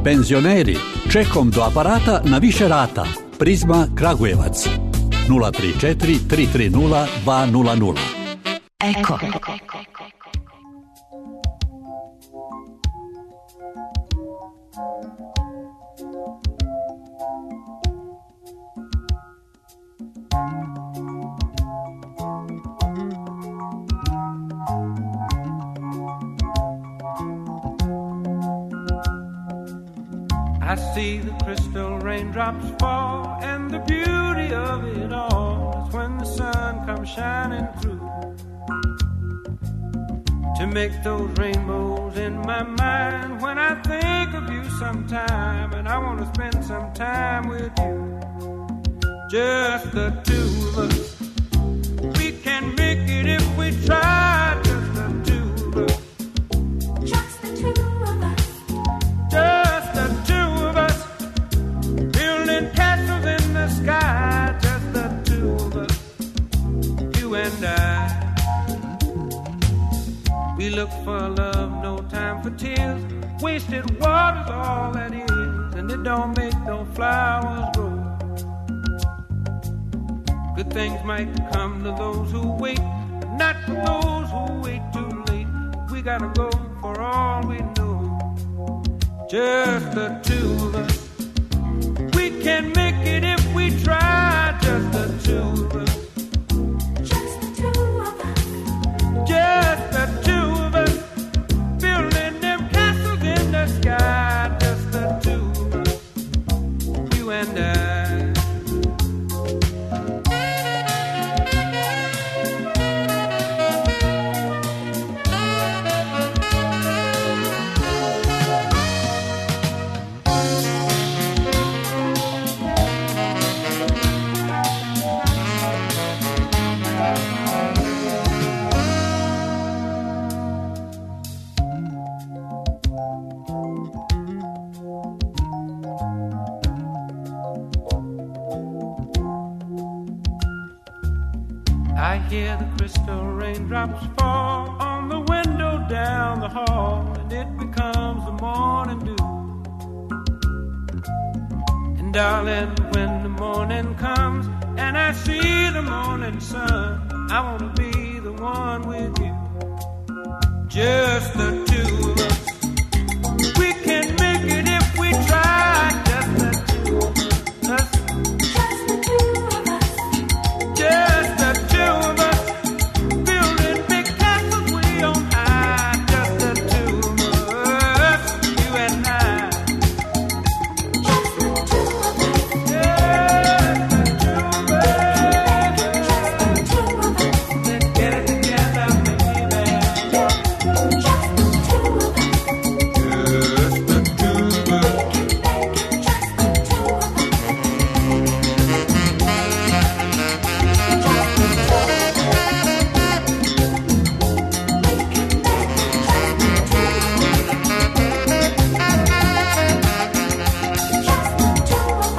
Penzioneri, čekom do aparata na više rata. Prizma Kragujevac nula tri četiri tri tri nula dva nula nula. Eko. I see the crystal raindrops fall, and the beauty of it all is when the sun comes shining through to make those rainbows in my mind. When I think of you sometime, and I want to spend some time with you, just the two of us. We can make it if we try, just the two of us. Just the two of us. Just the two of us. Building castles in the sky, just the two of us. You and I. We look for love, no time for tears. Wasted water's all that is, and it don't make no flowers grow. Good things might come to those who wait, but not for those who wait too late. We gotta go for all we know. Just the two of us. We can make it if we try, just the two of us. Just the two of us. Just the two of us. Building them castles in the sky, just the two of us. You and I. I hear the crystal raindrops fall on the window down the hall, and it becomes the morning dew. And darling, when the morning comes and I see the morning sun, I want to be the one with you, just the two of us. We can make it if we try, just the two of us. Just the two of us. Just the two of us. Building big castles way on high, just the two of us, you and I. Just the two of us. Just the two of us. Just the two of us. Let's get it together, baby. Just the two of us. Just the two of us. We can make it just the two of us. Just the two of us. We can make it just the two of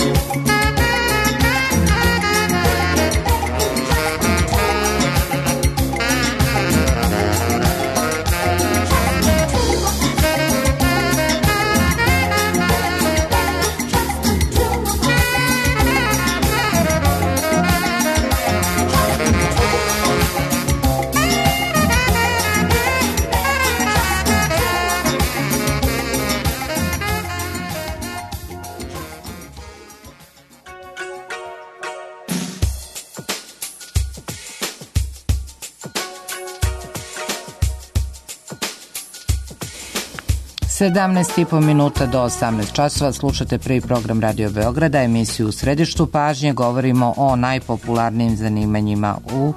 sedamnaest i po minuta do osamnaest časova slušate prvi program Radio Beograda, emisiju U središtu pažnje. Govorimo o najpopularnijim zanimanjima u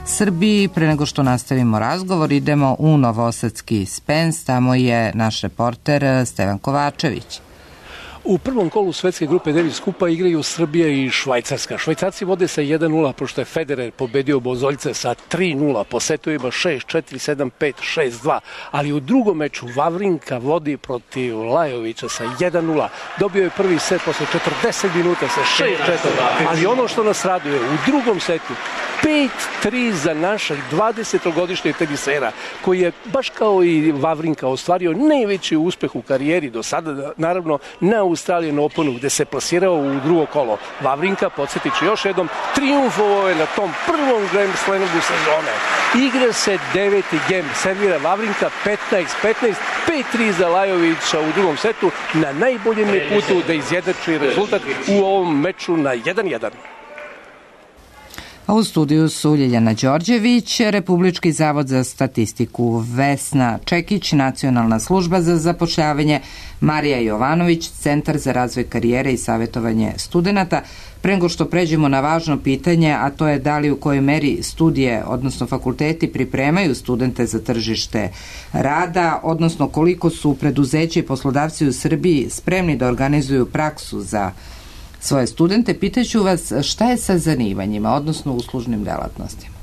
Srbiji. Pre nego što nastavimo razgovor, idemo u novosadski Spens. Tamo je naš reporter Stevan Kovačević. U prvom kolu svetske grupe Davis Kupa igraju Srbija i Švajcarska. Švajcarci vode sa jedan nula, pošto je Federer pobedio Bozoljce sa tri nula, po setovima šest četiri, sedam pet, šest dva, ali u drugom meču Vavrinka vodi protiv Lajovića sa jedan nula. Dobio je prvi set posle četrdeset minuta sa šest četiri, ali ono što nas raduje, u drugom setu pet tri za našeg dvadesetogodišnjeg tenisera, koji je, baš kao i Vavrinka, ostvario najveći uspeh u karijeri do sada, naravno na Australian Openu, gde se plasirao u drugo kolo. Vavrinka, podsjetit ću još jednom, triumfovao je na tom prvom Grand Slamu sezone. Igra se deveti gem, servira Vavrinka petnaest petnaest, pet tri za Lajovića u drugom setu, na najboljem je putu da izjednači rezultat u ovom meču na jedan jedan. A u studiju su Ljiljana Đorđević, Republički zavod za statistiku, Vesna Čekić, Nacionalna služba za zapošljavanje, Marija Jovanović, Centar za razvoj karijere i savjetovanje studenata. Pre nego što pređemo na važno pitanje, a to je da li u kojoj meri studije, odnosno fakulteti, pripremaju studente za tržište rada, odnosno koliko su preduzeće i poslodavci u Srbiji spremni da organizuju praksu za svoje studente, pitaću vas šta je sa zanimanjima, odnosno uslužnim delatnostima.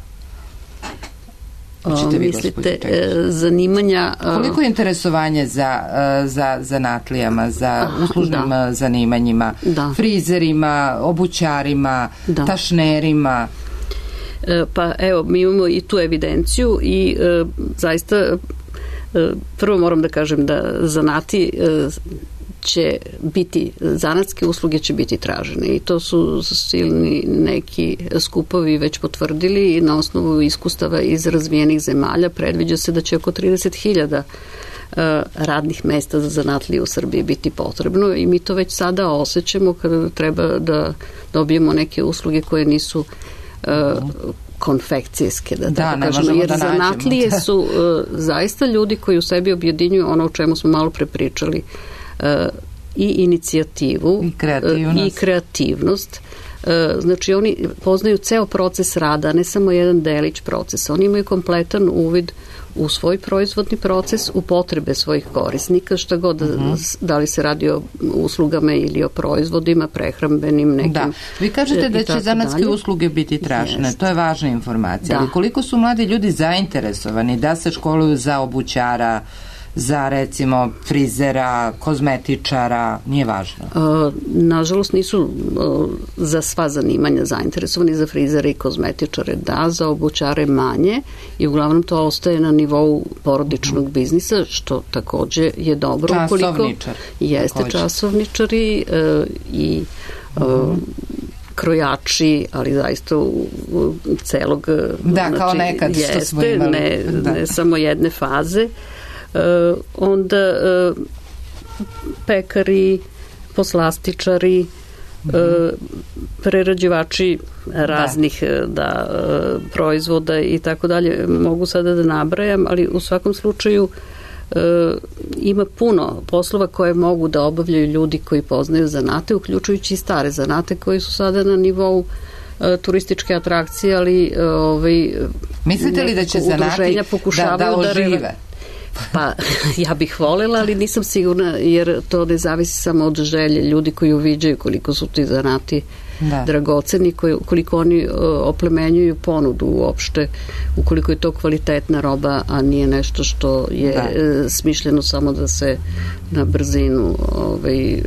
O, mislite, zanimanja... Koliko je interesovanje za, za zanatlijama, za uslužnim da. zanimanjima, da. frizerima, obućarima, da. tašnerima? Pa evo, mi imamo i tu evidenciju i e, zaista e, prvo moram da kažem da zanati e, će biti, zanatske usluge će biti tražene i to su silni neki skupovi već potvrdili i na osnovu iskustava iz razvijenih zemalja predviđa se da će oko trideset hiljada radnih mesta za zanatlije u Srbiji biti potrebno i mi to već sada osjećamo kada treba da dobijemo neke usluge koje nisu konfekcijske, da, da tako kažemo, jer da zanatlije su uh, zaista ljudi koji u sebi objedinjuju ono o čemu smo malo prepričali, uh, i inicijativu i kreativnost. Uh, i kreativnost. Uh, znači oni poznaju ceo proces rada, ne samo jedan delić procesa. Oni imaju kompletan uvid u svoj proizvodni proces, u potrebe svojih korisnika, šta god, uh-huh. da li se radi o uslugama ili o proizvodima, prehrambenim nekim. Da, vi kažete da će zanatske usluge biti tražene, to je važna informacija, da. Ali koliko su mladi ljudi zainteresovani da se školuju za obućara, za recimo frizera, kozmetičara, nije važno? A, nažalost nisu a, za sva zanimanja zainteresovani, za frizere i kozmetičare da, za obućare manje i uglavnom to ostaje na nivou porodičnog mm. biznisa, što takođe je dobro. Časovničar. Jeste takođe. Časovničari a, i a, mm. krojači, ali zaista u, u celog... Da, znači, kao nekad što jeste, smo imali. Ne, da. ne samo jedne faze. Uh, onda uh, pekari, poslastičari, uh, prerađivači raznih da. Da, uh, proizvoda i tako dalje. Mogu sada da nabrajam, ali u svakom slučaju uh, ima puno poslova koje mogu da obavljaju ljudi koji poznaju zanate, uključujući i stare zanate koji su sada na nivou uh, turističke atrakcije, ali uh, ovaj, mislite li da će zanati da, da ožive? Da Pa ja bih voljela, ali nisam sigurna jer to ne zavisi samo od želje ljudi koji uviđaju koliko su ti zanati da. dragoceni, koji, koliko oni uh, oplemenjuju ponudu uopšte, ukoliko je to kvalitetna roba, a nije nešto što je uh, smišljeno samo da se na brzinu ovaj, uh,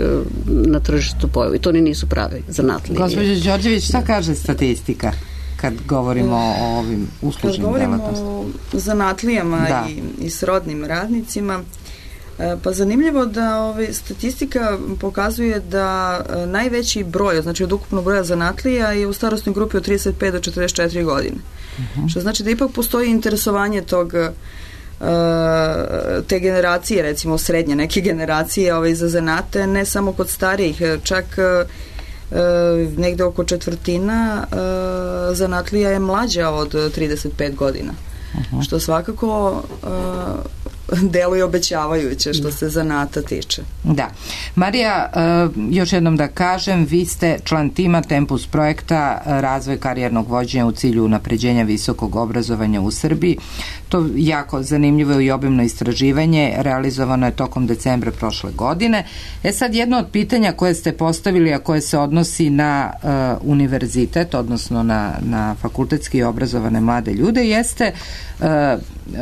na tržištu pojavi. To ni nisu pravi zanatlije. Gospođo Đorđević, šta kaže statistika kad govorimo o ovim uslužnim delatnostima? Kad govorimo o zanatlijama da. i, i srodnim radnicima, pa zanimljivo da ovaj, statistika pokazuje da najveći broj, znači od ukupnog broja zanatlija je u starosnoj grupi od trideset pet do četrdeset četiri godine. Uh-huh. Što znači da ipak postoji interesovanje tog te generacije, recimo srednje neke generacije ovaj, za zanate, ne samo kod starijih, čak Uh, negde oko četvrtina uh, zanatlija je mlađa od trideset pet godina. Uh-huh. Što svakako uh, deluje obećavajuće što se zanata tiče. Da. Marija, uh, još jednom da kažem, vi ste član tima Tempus projekta razvoj karijernog vođenja u cilju unapređenja visokog obrazovanja u Srbiji. To jako zanimljivo i obimno istraživanje, realizovano je tokom decembra prošle godine. E sad, jedno od pitanja koje ste postavili, a koje se odnosi na uh, univerzitet, odnosno na, na fakultetski obrazovane mlade ljude, jeste uh,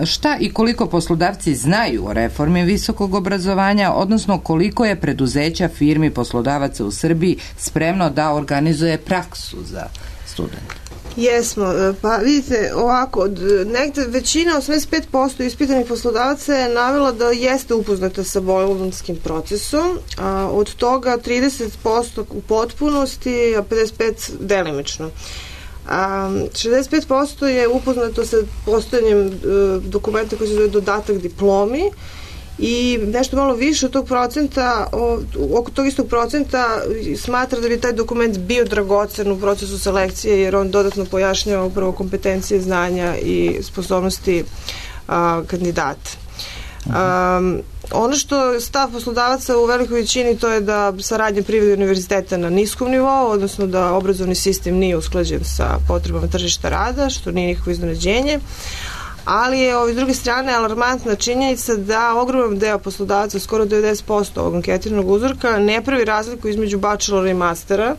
šta i koliko poslodavci znaju o reformi visokog obrazovanja, odnosno koliko je preduzeća, firmi, poslodavaca u Srbiji spremno da organizuje praksu za studente? Jesmo, pa vidite ovako, negde većina, osamdeset pet posto ispitanih poslodavaca je navela da jeste upoznata sa bolonjskim procesom, a od toga trideset posto u potpunosti, a pedeset pet posto delimično. A, šezdeset pet posto je upoznato sa postojanjem e, dokumenta koji se zove dodatak diplomi i nešto malo više od tog procenta, oko tog istog procenta smatra da bi taj dokument bio dragocen u procesu selekcije jer on dodatno pojašnjava upravo kompetencije, znanja i sposobnosti a, kandidata. Um, ono što je stav poslodavaca u velikoj većini to je da saradnja privrednog univerziteta na niskom nivou, odnosno da obrazovni sistem nije usklađen sa potrebama tržišta rada, što nije nikakvo iznenađenje, ali je ovih druge strane alarmantna činjenica da ogroman deo poslodavaca, skoro devedeset posto ovog anketiranog uzorka, ne pravi razliku između bachelora i mastera.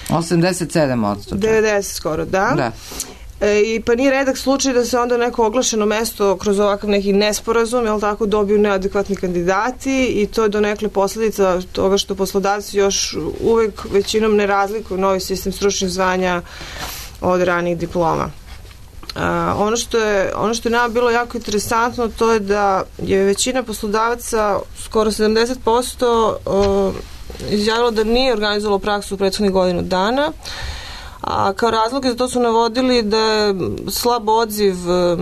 osamdeset sedam posto devedeset skoro, da. Da. E, i pa nije redak slučaj da se onda neko oglašeno mesto kroz ovakav neki nesporazum, jel tako, dobiju neadekvatni kandidati i to je donekle posledica toga što poslodavci još uvek većinom ne razlikuju novi sistem stručnih zvanja od ranih diploma. Uh, ono što je ono što je nama bilo jako interesantno to je da je većina poslodavaca, skoro sedamdeset posto uh, izjavilo da nije organizovalo praksu u prethodnih godinu dana, a kao razloge za to su navodili da je slab odziv uh,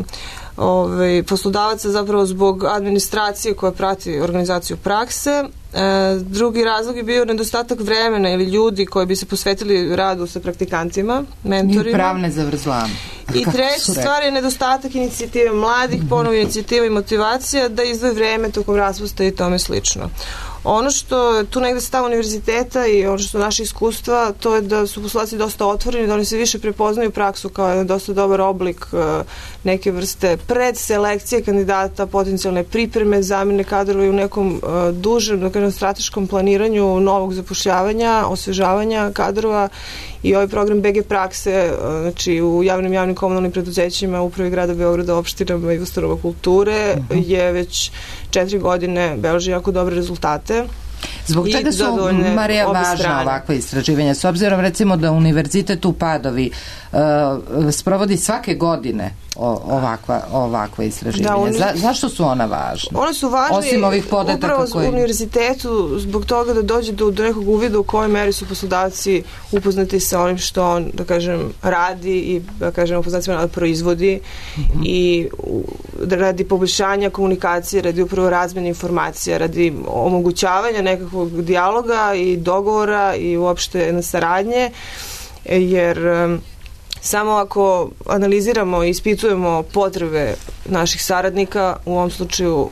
ovaj, poslodavaca zapravo zbog administracije koja prati organizaciju prakse. E, drugi razlog je bio nedostatak vremena ili ljudi koji bi se posvetili radu sa praktikantima, mentorima. I pravne zavrzlame. I treća stvar je nedostatak inicijative mladih, mm-hmm. ponovo inicijativa i motivacija da izdvoje vreme tokom raspusta i tome slično. Ono što tu negde stav univerziteta i ono što su naše iskustva, to je da su poslodavci dosta otvoreni, da oni se više prepoznaju praksu kao jedan dosta dobar oblik neke vrste predselekcije kandidata, potencijalne pripreme, zamene kadrova i u nekom dužem, da kažem, strateškom planiranju novog zapošljavanja, osvežavanja kadrova. I ovaj program B G prakse, znači u javnim javnim komunalnim preduzećima, upravi grada Beograda, opštinama i ustanova kulture, uh-huh. je već četiri godine beleži jako dobre rezultate. Zbog čega su, Marija, važna ovakva istraživanja? S obzirom, recimo, da Univerzitet u Padovi uh, sprovodi svake godine ovakva, ovakva istraživanja. Da, uni... Za, zašto su ona važna? One su važne osim ovih podataka upravo koji... u univerzitetu zbog toga da dođe do, do nekog uvida u kojoj meri su poslodavci upoznati sa onim što on, da kažem, radi i, da kažem, poslodavcima da proizvodi mm-hmm. i da radi poboljšanja komunikacije, radi upravo razmjene informacija, radi omogućavanja nekakvog dijaloga i dogovora i uopšte jedne saradnje, jer samo ako analiziramo i ispitujemo potrebe naših saradnika, u ovom slučaju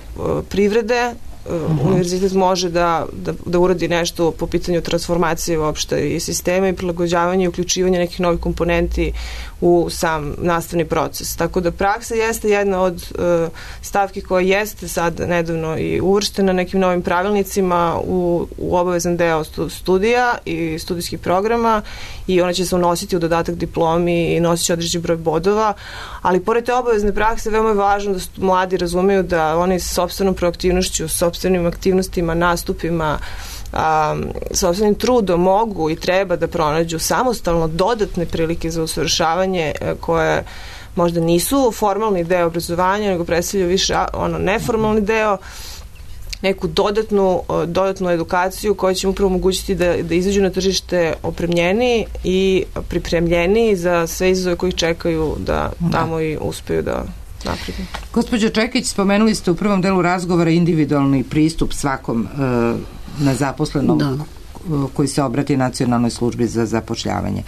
privrede, uh-huh. univerzitet može da, da, da uradi nešto po pitanju transformacije uopšte i sistema i prilagođavanja i uključivanja nekih novih komponenti u sam nastavni proces. Tako da praksa jeste jedna od uh, stavki koja jeste sad nedavno i uvrštena nekim novim pravilnicima u, u obavezan deo studija i studijskih programa i ona će se unositi u dodatak diplomi i nosit će određeni broj bodova, ali pored te obavezne prakse veoma je važno da mladi razumeju da oni sa sopstvenom proaktivnošću, sopstvenim aktivnostima, nastupima, Um, sopstvenim trudom mogu i treba da pronađu samostalno dodatne prilike za usavršavanje koje možda nisu formalni deo obrazovanja, nego predstavljaju više ono neformalni deo, neku dodatnu, dodatnu edukaciju koja će im upravo omogućiti da, da izađu na tržište opremljeni i pripremljeni za sve izazove koji čekaju da tamo i uspeju da napredu. Gospođo Čekić, spomenuli ste u prvom delu razgovora individualni pristup svakom uh, nezaposlenom da. koji se obrati Nacionalnoj službi za zapošljavanje.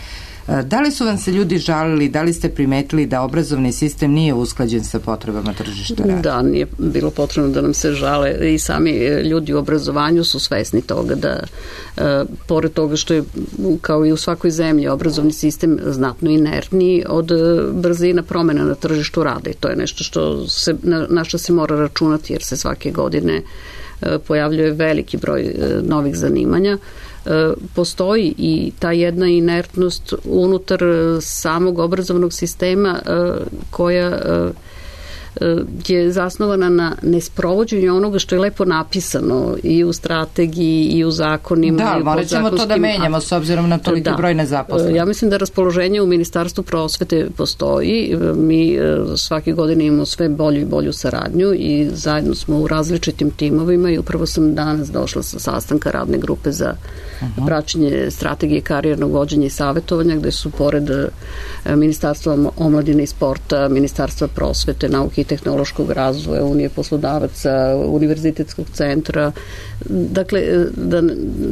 Da li su vam se ljudi žalili, da li ste primetili da obrazovni sistem nije usklađen sa potrebama tržišta rada? Da, nije bilo potrebno da nam se žale i sami ljudi u obrazovanju su svesni toga da e, pored toga što je kao i u svakoj zemlji obrazovni sistem znatno inertniji od brzina promena na tržištu rada i to je nešto što se, na, na što se mora računati jer se svake godine e, pojavljuje veliki broj e, novih zanimanja. Postoji i ta jedna inertnost unutar samog obrazovnog sistema koja je zasnovana na nesprovođenju onoga što je lepo napisano i u strategiji i u zakonima. Da, morat ćemo to da menjamo s obzirom na toliki da. broj nezaposlenih. Ja mislim da raspoloženje u Ministarstvu prosvete postoji. Mi svake godine imamo sve bolju i bolju saradnju i zajedno smo u različitim timovima i upravo sam danas došla sa sastanka radne grupe za uh-huh. praćenje strategije karijernog vođenja i savjetovanja gde su pored Ministarstva omladine i sporta, Ministarstva prosvete, nauke i tehnološkog razvoja, Unije poslodavaca, Univerzitetskog centra, dakle, da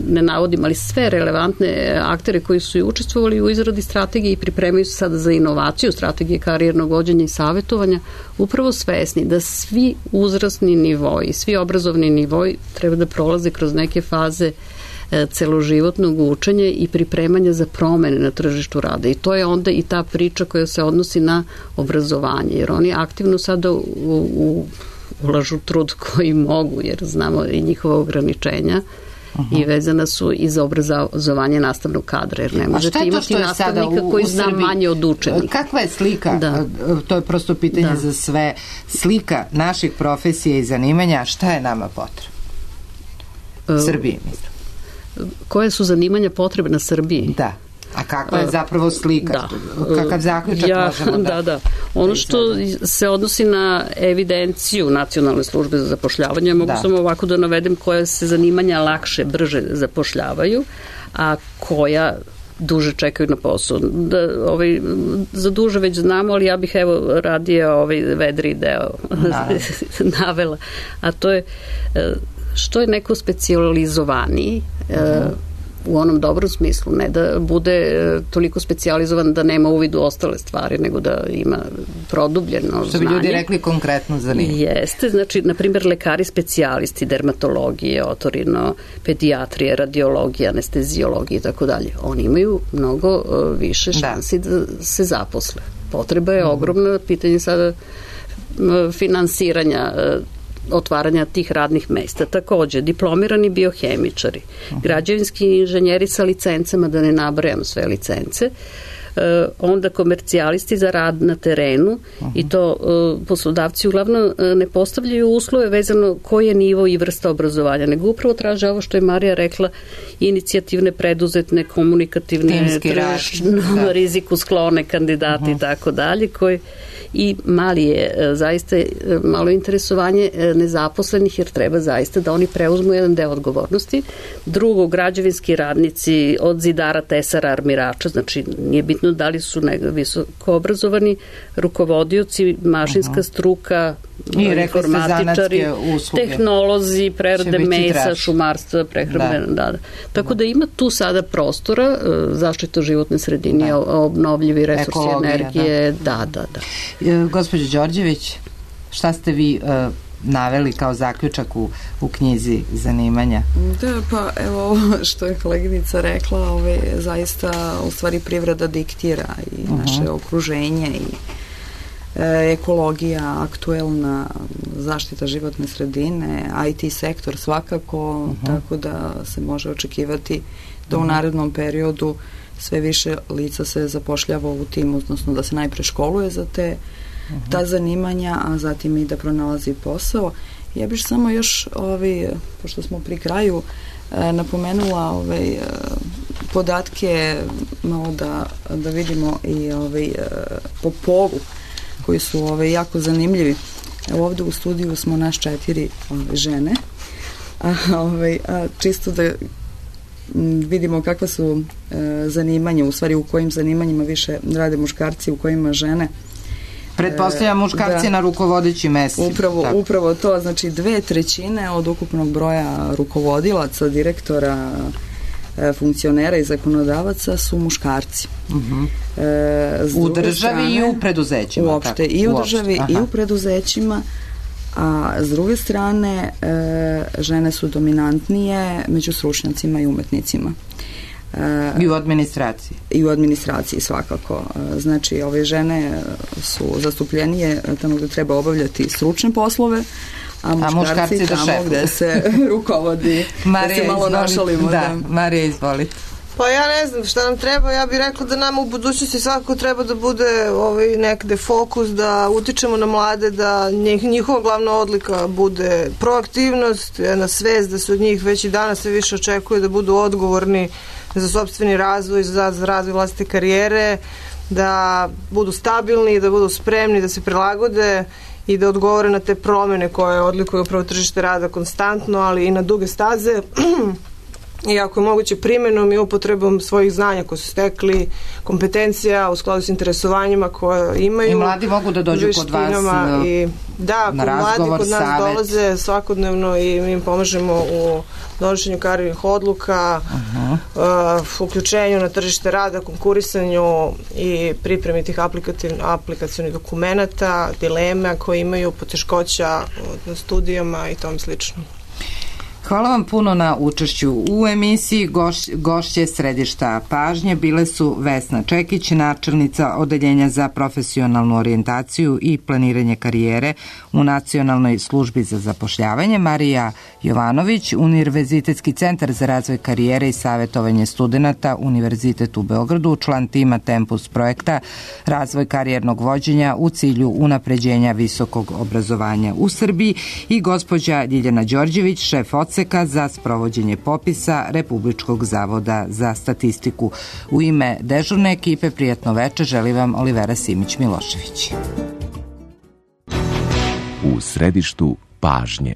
ne navodim, ali sve relevantne aktere koji su i učestvovali u izradi strategije i pripremaju se sada za inovaciju strategije karijernog vođenja i savjetovanja, upravo svesni da svi uzrasni nivoji, svi obrazovni nivoji treba da prolaze kroz neke faze celoživotnog učenja i pripremanja za promene na tržištu rada. I to je onda i ta priča koja se odnosi na obrazovanje, jer oni aktivno sada u, u, ulažu trud koji mogu, jer znamo i njihova ograničenja uh-huh. i vezana su i za obrazovanje nastavnog kadra, jer ne možete imati nastavnika u, koji zna manje od učenika. Kakva je slika? Da. To je prosto pitanje da. za sve. Slika naših profesija i zanimanja, šta je nama potrebno? Uh, Srbiji, mislim. Koje su zanimanja potrebne Srbiji? Da. A kakva je zapravo slika? Da. Kakav zaključak ja, možemo da... Da, da. Ono što se odnosi na evidenciju Nacionalne službe za zapošljavanje, mogu da. samo ovako da navedem koje se zanimanja lakše, brže zapošljavaju, a koja duže čekaju na posao. Da, ovaj, za duže već znamo, ali ja bih evo radije ovaj vedri deo navela. A to je što je neko specijalizovaniji, uh-huh. u onom dobrom smislu, ne da bude e, toliko specijalizovan da nema uvid u ostale stvari, nego da ima produbljeno znanje. Što bi ljudi rekli konkretno zanimljivo. Jeste, znači, na primjer, lekari specijalisti dermatologije, otorino, pedijatrije, radiologije, anestezijologije i tako dalje. Oni imaju mnogo uh, više šansi da. da se zaposle. Potreba je ogromna, pitanje sada uh, finansiranja uh, otvaranja tih radnih mesta. Takođe, diplomirani biohemičari, uh-huh. građevinski inženjeri sa licencama, da ne nabrajam sve licence, Uh, onda komercijalisti za rad na terenu uh-huh. i to uh, poslodavci uglavnom uh, ne postavljaju uslove vezano koji je nivo i vrsta obrazovanja, nego upravo traže ovo što je Marija rekla, inicijativne, preduzetne, komunikativne, tržišno riziku sklone kandidati uh-huh. i tako dalje, koji i mali je uh, zaista uh, malo interesovanje uh, nezaposlenih, jer treba zaista da oni preuzmu jedan deo odgovornosti. Drugo, građevinski radnici od zidara, tesara, armirača, znači nije bitno da li su visoko obrazovani, rukovodioci, mašinska struka, informatičari, tehnolozi, prerade mesa, šumarstva, prehrambena, da. Da, da. Tako da ima tu sada prostora, zaštita životne sredine, da. obnovljivi resursi ekologija, energije, da, da, da. da. Gospođo Đorđević, šta ste vi uh, naveli kao zaključak u, u knjizi zanimanja? Da, pa evo ovo što je koleginica rekla, ove, zaista u stvari privreda diktira i uh-huh. naše okruženje i e, ekologija, aktuelna zaštita životne sredine, I T sektor svakako, uh-huh. tako da se može očekivati da u narednom periodu sve više lica se zapošljava u tim, odnosno da se najpre školuje za te uh-huh. ta zanimanja, a zatim i da pronalazi posao. Ja bih samo još, ovaj, pošto smo pri kraju, eh, napomenula ovaj, eh, podatke, malo da, da vidimo i ovaj, eh, po polu, koji su ovaj, jako zanimljivi. Evo ovde u studiju smo naš četiri ovaj, žene, a, ovaj, a čisto da vidimo kakva su e, zanimanja, u stvari u kojim zanimanjima više rade muškarci, u kojima žene. Pretpostavljam muškarci da, na rukovodećim mestima. Upravo, upravo to, znači dve trećine od ukupnog broja rukovodilaca, direktora, e, funkcionera i zakonodavaca su muškarci. Uh-huh. e, u državi strane, i u preduzećima. Uopšte, tako, i u uopšte, državi aha. i u preduzećima. A s druge strane, e, žene su dominantnije među stručnjacima i umetnicima. E, I u administraciji. I u administraciji svakako. E, znači, ove žene su zastupljenije tamo gde treba obavljati stručne poslove, a muškarci, a muškarci tamo gde se rukovodi. Marija, da se malo izvolite. našalimo. Da, da. Marija, izvolite. Pa ja ne znam šta nam treba, ja bih rekla da nam u budućnosti svakako treba da bude ovaj, nekde fokus, da utičemo na mlade, da njih, njihova glavna odlika bude proaktivnost, jedna svest da se od njih već i danas sve više očekuje da budu odgovorni za sopstveni razvoj, za, za razvoj vlastite karijere, da budu stabilni, da budu spremni, da se prilagode i da odgovore na te promene koje odlikuju upravo tržište rada konstantno, ali i na duge staze. I ako je moguće primenom i upotrebom svojih znanja koje su stekli, kompetencija u skladu s interesovanjima koje imaju. I mladi mogu da dođu kod vas i, da, na razgovor, mladi kod nas savet. Dolaze svakodnevno i mi im pomažemo u donošenju karijernih odluka, uh-huh. uh, uključenju na tržište rada, konkurisanju i pripremi tih aplikacionih dokumenata, dilema koje imaju, poteškoća na studijama i tom slično. Hvala vam puno na učešću u emisiji. Goš, gošće središta pažnje bile su Vesna Čekić, načelnica Odeljenja za profesionalnu orijentaciju i planiranje karijere u Nacionalnoj službi za zapošljavanje, Marija Jovanović, Univerzitetski centar za razvoj karijere i savjetovanje studenata, Univerzitet u Beogradu, član tima Tempus projekta razvoj karijernog vođenja u cilju unapređenja visokog obrazovanja u Srbiji, i gospođa Ljiljana Đorđević, šef odseka za sprovođenje popisa Republičkog zavoda za statistiku. U ime dežurne ekipe prijatno veče želi vam Olivera Simić Milošević. U središtu pažnje.